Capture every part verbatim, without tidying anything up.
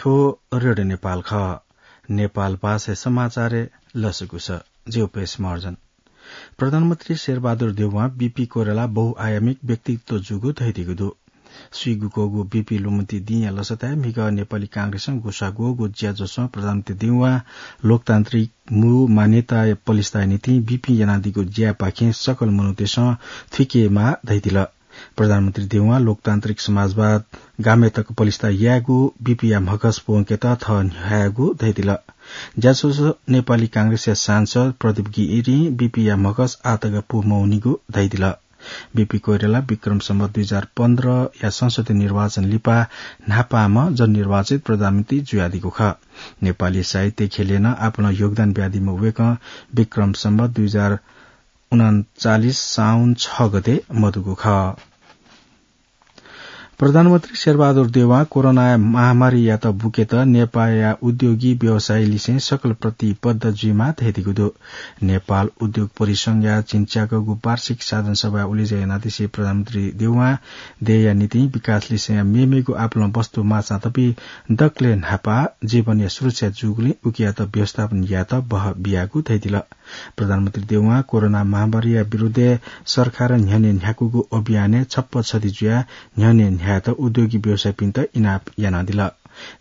थ्व रेडियो नेपाल खः। नेपाल भाषाय् समाचारय् लसकुस। ज्यू पेश महर्जन। प्रधानमन्त्री शेरबहादुर देउवां बीपी कोइराला बहुआयामिक व्यक्तित्व जूगु धयादीगु दु। स्वीगुक्वःगु बीपी लुमन्ति दिंया लसताय् म्हिगः नेपाली कांग्रेसं गुसाग्वःगु ज्याझ्वलय् प्रधानमन्त्री देउवां लोकतान्त्रिक मू मान्यताया पलिस्ताया निंतिं बीपी यानादीगु ज्यापाखें सकल मनूतय्सं थुइकेमाः धयादिल। प्रधानमन्त्री देउवां लोकतान्त्रिक समाजवाद गामय् तक पलिस्ता यायेगु बीपीया म्हगस पूवंकेत थः न्ह्याःगु धयादिल। ज्याझ्वलय् नेपाली कांग्रेसया सांसद प्रदीप गिरिं बीपीया म्हगस आः तक पूमवनीगु धयादिल। बीपी कोइराला विक्रम सम्वत दुई हजार पन्ध्रया संसदीय निर्वाचन लिपा न्हापांम्ह जननिर्वाचित प्रधानमन्त्री जुयादीगु खः। नेपाली साहित्य ख्यलय् नं आपालं योगदान बियादीम्ह वय्कः विक्रम सम्वत दुई हजार उनन्चालिस साउन छ गते मदुगु खः। प्रधानमन्त्री शेरबहादुर देउवां कोरोना महामारीयात बुकेत नेपाःया उद्योगी व्यवसायीलिसें सकल प्रतिबद्ध जुइमाः धयादीगु दु। नेपाल उद्योग परिसंघया झिंच्याकःगु वार्षिक साधारण सभाय् उलेज्या यानादिसें प्रधानमन्त्री देउवां देय्‌या निंतिं विकासलिसेया मेमेगु आपालं वस्तु माःचातःपिं दकलय् न्हापां जीवनया सुरक्षा जूगुलिं उकियात व्यवस्थापन यायेत बहः बियागु धयादिल। प्रधानमन्त्री देउवां कोरोना महामारीया विरुद्धय् सरकारं न्ह्यःने न्ह्याकूगु अभियानय् छप्पा छधी जुयाः न्ह्यःने न्ह्यायेत उद्योगी व्यवसायीपिन्त इनाप यानादिल।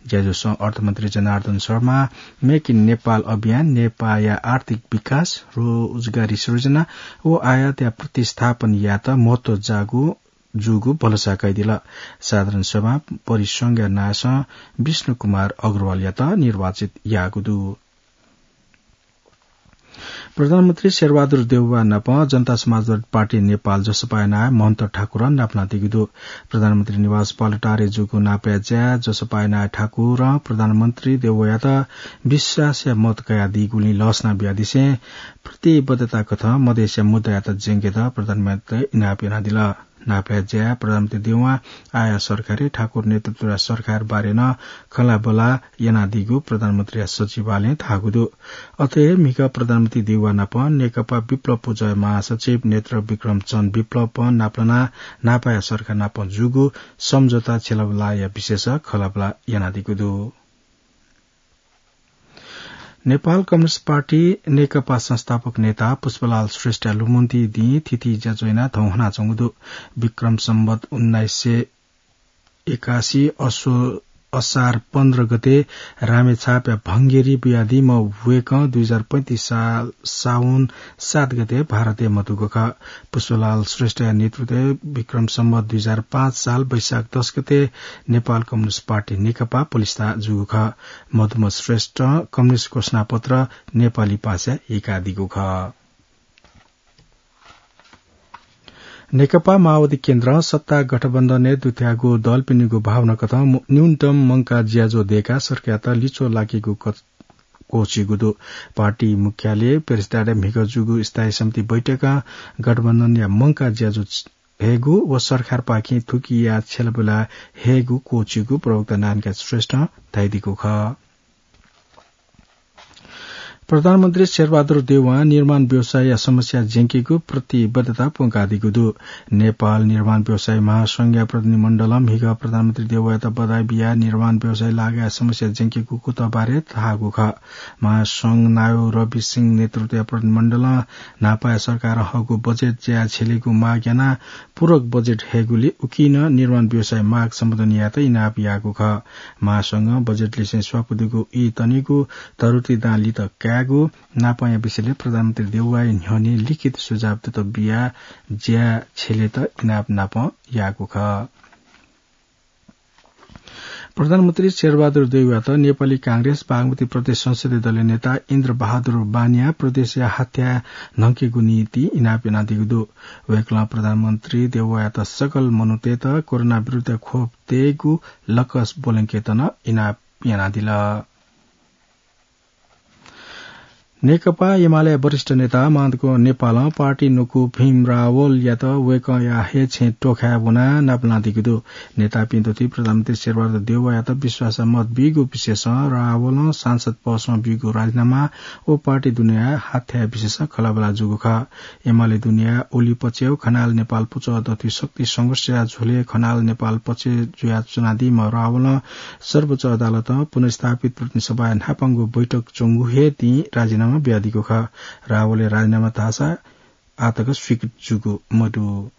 ज्याझ्वलय् अर्थमन्त्री जनार्दन शर्मां Make in Nepal अभियान नेपाःया आर्थिक विकास, रोजगारी सृजना व आयातया प्रतिस्थापन यायेत महत्व जाःगु जूगु भलसा कयादिल। साधारण सभा परिसंघया नायःसं विष्णु कुमार अग्रवालयात निर्वाचित याःगु दु। प्रधानमन्त्री शेरबहादुर देउवा नाप जनता समाजवादी पार्टी नेपाल, जसपाया नायः महन्त ठाकुरं नापलानादीगु दु। प्रधानमन्त्री निवास बालुवाटारय् जूगु नापया ज्याय् जसपाया नायः ठाकुरं प्रधानमन्त्री देउवायात विश्वासया मत कयादीगुलिं लसना बियादिसें प्रतिबद्धता कथं मधेसया मुद्दायात ज्यंकेत प्रधानमन्त्रीयात इनाप यानादिल। नापया ज्याय् प्रधानमन्त्री देउवां आःया सरकारय् ठाकुर नेतृत्वया सरकार बारे नं खँल्हाबल्हा यानादीगु प्रधानमन्त्रीया सचिवालयं धाःगु दु। अथे हे म्हिगः प्रधानमन्त्री देउवा नाप नेकपा विप्लव पुँजया महासचिव नेत्र विक्रम चन्द विप्लवं नापलानाः नापाया सरकार नाप जूगु सम्झौता छ्यलाबल्हाया विषयस खँल्हाबल्हा यानादीगु दु। नेपाल कम्युनिस्ट पार्टी नेकपा संस्थापक नेता पुष्पलाल श्रेष्ठया लुमन्ति दिं थीथी ज्याझ्वः यानाः थौं हनाच्वंगु दु। विक्रम सम्वत उन्नाइस सय एकासी असो-, असार पन्ध्र गते रामेछापया भंगेरी बियादीम्ह वय्कः दुई हजार पैंतिस साल साउन सात गते भारतय् मदुगु खः। पुष्पलाल श्रेष्ठया नेतृत्वय् विक्रम सम्वत दुई हजार पाँच साल वैशाख दस गते नेपाल कम्युनिस्ट पार्टी नेकपा पलिस्था जूगु खः। मदुम्ह श्रेष्ठं कम्युनिस्ट घोषणापत्र नेपाली भाषाय् यय्कादीगु खः। नेकपा माओवादी केन्द्रं सत्ता गठबन्धनय् दुथ्याःगु दलपिनिगु भावना कथं मु-, न्यूनतम मंकाः ज्याझ्वः दय्काः सरकारयात लिच्वः लाकेगु क-, क्वःछिइगु दु। पार्टी मुख्यालय पेरेसिदारय् म्हिगः जूगु स्थायी समिति बैठकं गठबन्धनया मंकाः ज्याझ्वः हयेगु व सरकारपाखें थुकिया छ्यलाबल्हा हयेगु क्वःछिइगु प्रवक्ता नारायणकाजी श्रेष्ठं धयादीगु खः। प्रधानमन्त्री शेरबहादुर देउवां निर्माण व्यवसायया समस्या ज्यंकेगु प्रतिबद्धता प्वंकादीगु दु। नेपाल निर्माण व्यवसायी महासंघया प्रतिनिधिमण्डलं म्हिगः प्रधानमन्त्री देउवायात बधाई बियाः निर्माण व्यवसायी लागाय् समस्या ज्यंकेगु कुतः बारे धाःगु खः। महासंघ नायः रवि सिंह नेतृत्वया प्रतिनिधिमण्डलं न्हापाया सरकारं हःगु बजेट ज्याय् छ्यलेगु माग यानाः पूरक बजेट हयेगुलिं उकिं नं निर्माण व्यवसायी माग सम्बोधन यायेत इनाप याःगु खः। महासंघं बजेटलिसें स्वापू दुगु ई तनेगु, तरुति दां लित कायेगु नापंया विषयलय् प्रधानमन्त्री देउवाया न्ह्यःने लिखित सुझाव दुत बियाः ज्याय् छ्यलेत इनाप नापं याःगु खः। प्रधानमन्त्री शेरबहादुर देउवायात नेपाली कांग्रेस बागमती प्रदेश संसदीय दलया नेता इन्द्रबहादुर बानियां प्रदेशया हाथ्याः न्हंकेगु निंतिं इनाप यानादीगु दु। वय्कलं प्रधानमन्त्री देउवायात सकल मनूतय्त कोरोना विरुद्ध खोप तयेगु लकस ब्वलंकेत नं इनाप यानादिल। नेकपा एमाले वरिष्ठ नेता माधव नेपालं पार्टी न्वकू भीम रावलयात वय्कःया हे छेँ टोखाय् वनाः नापलानादीगु दु। नेतापिं दथुइ प्रधानमन्त्री शेरबहादुर देउवायात विश्वास मत बीगु विषयसं रावलं सांसद पदसं बीगु राजीनामा व पार्टी दुनेया हाथ्याये विषयसं खँल्हाबल्हा जूगु खः। एमाले दुनेया ओली पक्षय् खनाल नेपाल पुचः दथुइ शक्ति संघर्षया झ्वलय् खनाल नेपाल पक्ष जुयाच्वनादीम्ह रावलं सर्वोच्च अदालतं पुनर्स्थापित प्रतिनिधि सभाया न्हापांगु बैठक च्वंगु हे दिं राजीनामा बियादीगु खः। रावलया राजीनामा धाःसा आःतक स्वीकृत जूगु मदु।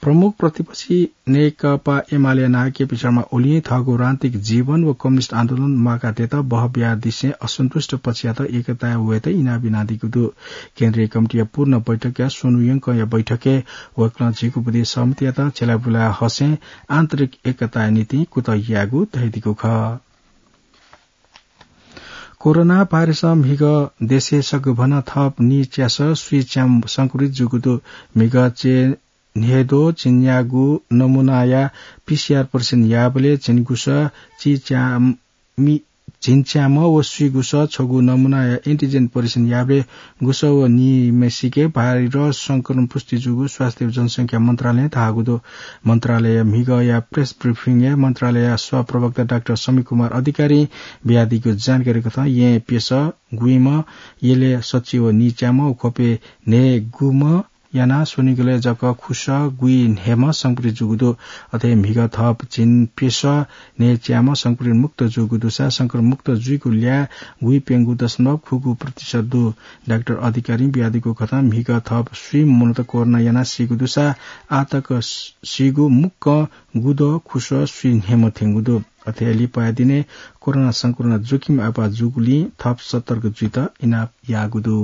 प्रमुख प्रतिपक्षी नेकपा एमाले नायः केपी शर्मा ओलीं थःगु राजनीतिक जीवन व कम्युनिस्ट आन्दोलन म्वाकाः तयेत बहःबिहारदिसें असन्तुष्ट पक्षयात एकताय् वयेत इनाप यानादीगु दु। केन्द्रीय कमिटीया पूर्ण बैठकया स्वन्हु यंकंया बैठकय् वय्कलं झीगू बुँदे सहमतियात झ्यलाबुला हसें आन्तरिक एकताया निंतिं कुतः यायेगु धयादीगु खः। कोरोना भाइरसं म्हिगः देशय् सकभनं थप नीच्यासः स्वीच्याम्ह संक्रमित जूगु दु। म्हिगः चे न्हय्द्वः झिंन्यागू नमूनाया पीसीआर परीक्षण याःबलय् झिंगुसः चिच्यामि-, झिंच्याम्ह व स्वीगुसः छगू नमूनाया एन्टिजेन परीक्षण याःबलय् गुसः व नीम्हसिके भाइरस संक्रमण पुष्टि जूगु स्वास्थ्य जनसंख्या मन्त्रालयं धाःगु दु। मन्त्रालय म्हिगःया प्रेस ब्रिफिङय् मन्त्रालयया सहप्रवक्ता डाक्टर समीर कुमार अधिकारीं बियादीगु जानकारी कथं येँ प्यसः गुइम्ह, यलय् सच्छि व नीच्याम्ह व ख्वपय् न्हय्गुम्ह यानाः स्वनिगलय् जक खुसः गुइन्हय्म्ह संक्रमित जूगु दु। अथे म्हिगः थप झिंप्यसः न्हय्च्याम्ह संक्रमित मुक्त जूगु दुसा संक्रमित मुक्त जुइगु ल्याः गुइप्यंगू दशमलव खुगू प्रतिशत दु। डाक्टर अधिकारीं बियादीगु कथं म्हिगः थप स्वीम्ह मनूत कोरोना यानाः सीगु दुसा आःतक सीगु मुक्कं गुदः खुसः स्वीन्हय्म्ह थ्यंगु दु। अथे लिपाया दिनय् कोरोना संक्रमण जोखिम आपाः जूगुलिं थप सतर्क जुइत इनाप याःगु दु।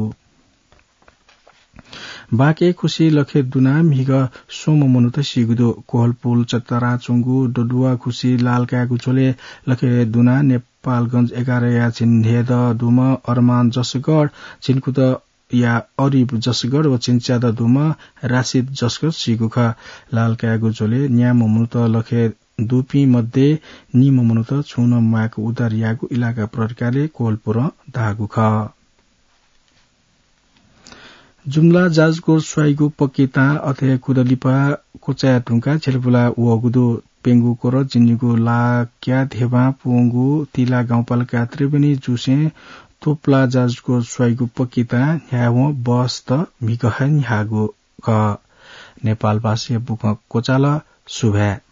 बाँके खुसि लखय् दुनाः म्हिगः स्वम्ह मनूत सीगु दु। कोहलपुर चतरा च्वंगु डडुवा खुसि लालकाय्गु झ्वलय् लखय् दुनाः नेपालगंज एघारया झिंन्हय्दँ दुम्ह अरमान जसगढ, झिंकुदँया अरिब जसगढ व झिंच्यादँ दुम्ह राशिद जसगढ सीगु खः। लालकाय्गु झ्वलय् न्याम्ह मनूत लखय् दुपिं मध्ये निम्ह मनूत छुं नं म्वायेक उद्धार याःगु इलाका प्रहरी कार्यालय कोहलपुरं धाःगु खः। जुम्ला जाजकोर स्वाइगु पक्की तां अथे कुदँ लिपा क्वचाय् धुंकाः झ्यलपुला वःगु दु। प्यंगू कोरस जिनिगू लाक्या धेबां पूवंगु तिला गाउँपालिका त्रिवेणी जुसें तोपला जाजकोर स्वाइगु पक्की तां न्ह्यावं बसत म्हिगः हे न्ह्याःगु खः। नेपाल भाषाया बुखँ क्वचाल। सुभाय्।